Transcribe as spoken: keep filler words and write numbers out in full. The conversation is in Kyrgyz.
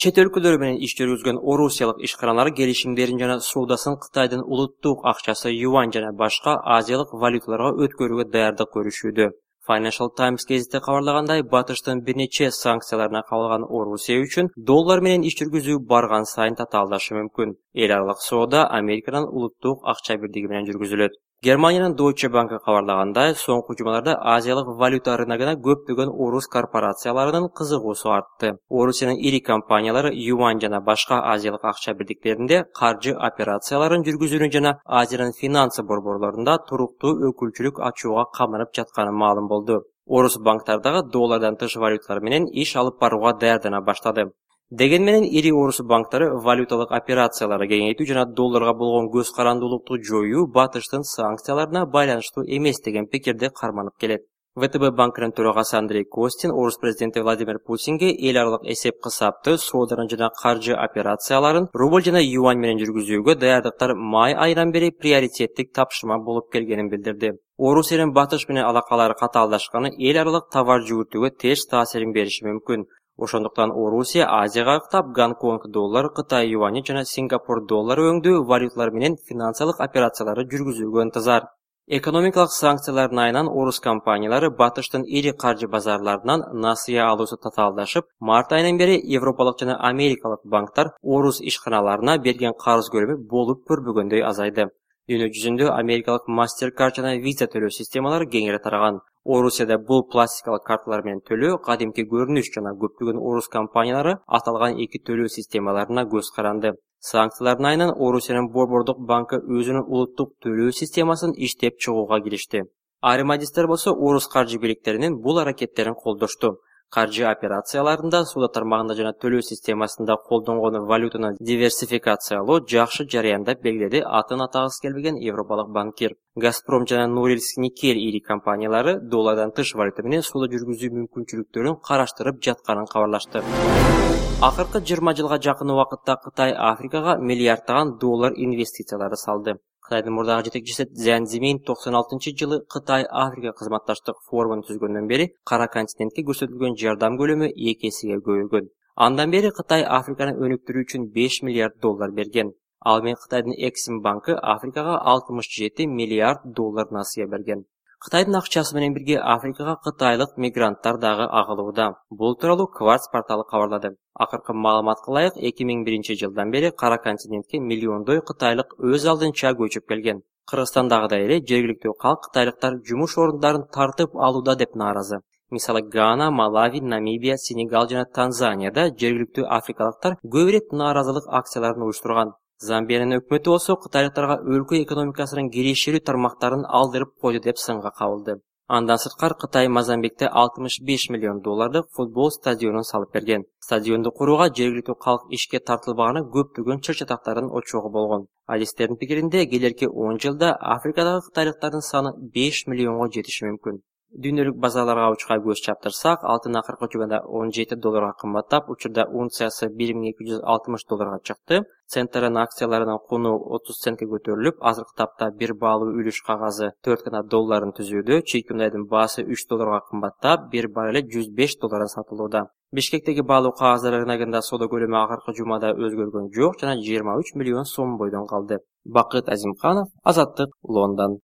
Чет өлкөлөр менен иш жүргүзгөн орусиялык ишканалар келишимдерин жана соодасын Кытайдын улуттук акчасы юань жана башка азиялык валюталарга өткөрүүгө даярдык көрүшүүдө. Financial Times гезити кабарлагандай, батыштын бир нече санкцияларына кабылган Орусия үчүн доллар менен иш жүргүзүү барган сайын татаалдашы мүмкүн. Эл аралык соода Американын улуттук акча бирдиги менен жүргүзүлөт. Германиянын Deutsche Bank кабарлагандай, соңку жумаларда азиялык валюта рыногуна көптөгөн орус корпорацияларынын кызыгуусу артты. Орусиянын ири компаниялары юань жана башка азиялык акча бирдиктеринде каржы операцияларын жүргүзүүнү жана Азиянын финансы борборлорунда туруктуу өкүлчүлүк ачууга каманып жатканы маалым болду. Орус банктардагы доллардан тыш валюталар менен иш алып барууга даярдана баштады. Деген менен ири орус банктары валюталык операцияларды кеңейтүү жана долларга болгон көз карандуулукту жоюу батыштын санкцияларына байланыштуу эмес деген пикирди карманып келет. ВТБ банкынын төрагасы Андрей Костин орус президенти Владимир Путинге эл аралык эсеп-кысапты, сооданы жана каржы операцияларын рубль жана юань менен жүргүзүүгө даярдыктар май айынан бери приоритеттик тапшырма болуп келгенин билдирди. Орусиянын батыш менен алакалары катаалдашканы эл аралык товар жүгүртүүгө терс таасирин бериши мүмкүн. Ошондуктан Орусия Азияга ыктап Гонконг доллары, Кытай юани жана Сингапур доллары өңдүү валюталар менен финансылык операцияларды жүргүзүүгө ынтызар. Экономикалык санкциялардын айынан орус компаниялары батыштын ири каржы базарларынан насыя алуусу татаалдашып, март айынан бери европалык жана америкалык банктар орус ишканаларына берген карыз көлөмү болуп көрбөгөндөй азайды. Дүйнө жүзүндө америкалык MasterCard жана Visa төлөө системалары кеңири тараган. Орусияда бул пластикалык карталар менен төлөө кадимки көрүнүш жана көптөгөн орус компаниялары аталган эки төлөө системаларына көз каранды. Санкциялардын айынан Орусиянын борбордук банкы өзүнүн улуттук төлөө системасын иштеп чыгууга киришти. Айрым адистер болсо орус каржы бийликтеринин бул аракеттерин колдошту. Каржы операцияларында, соода тармагында жана төлөө системасында колдонгон валютаны диверсификациялоо жакшы жараян деп белгиледи атын атагысы келбеген европалык банкир. Газпром жана Норильск Никель ири компаниялары доллардан тыш валюта менен соода жүргүзүү мүмкүнчүлүктөрүн караштырып жатканын кабарлашты. Акыркы жыйырма жылга жакын убакытта Кытай Африкага миллиарддаган доллар инвестициялары салды. Кытайдын мурдагы жетекчиси Цзян Цзимин токсон алтынчы жылы Кытай Африка кызматташтык форумун түзгөндөн бери кара континентке көрсөтүлгөн жардам көлөмү эки эсеге көбөйгөн. Андан бери Кытай Африканы өнүктүрүү үчүн беш миллиард доллар берген. Ал менен Кытайдын Эксим банкы Африкага алтымыш жети миллиард доллар насыя берген. Кытайдын акчасы менен бирге Африкага кытайлык мигранттар дагы агылууда. Бул тууралуу Кварц порталы кабарлады. Акыркы маалыматка ылайык эки миң биринчи жылдан бери кара континентке миллиондой кытайлык өз алдынча көчүп келген. Кыргызстандагыдай эле жергиликтүү калк кытайлыктар жумуш орундарын тартып алууда деп нааразы. Мисалы Гана, Малави, Намибия, Сенегал жана Танзанияда жергиликтүү африкалыктар көп ирет нааразылык акцияларын уюштурган. Замбиянын өкмөтү болсо кытайлыктарга өлкө экономикасынын кирешелүү тармактарын алдырып койду деп сынга кабылды. Андан сырткары Кытай Мозамбикте алтымыш беш миллион доллардык футбол стадионун салып берген. Стадионду курууга жергиликтүү калк ишке тартылбаганы көптөгөн чыр-чатактардын очогу болгон. Адистердин пикиринде келерки он жылда Африкадагы кытайлыктардын саны беш миллионго жетиши мүмкүн. Дүйнөлүк базарларга учка көз чаптырсак, алтын акыркы жумада он жети долларга кымбаттап, учурда унциясы бир миң эки жүз алтымыш долларга чыкты. Центрдин акцияларынын куну отуз центке көтөрүлүп, азыркы тапта бир баалуу үлүш кагазы төрт гана долларын түзүүдө, чийки мындайдын баасы үч долларга кымбаттап, бир баррели жүз беш доллардан сатылууда. Бишкектеги баалуу кагаздар рыногунда соода көлөмү акыркы жумада өзгөргөн жок жана жыйырма үч миллион сом бойдон калды. Бакыт Азимканов, Азаттык, Лондон.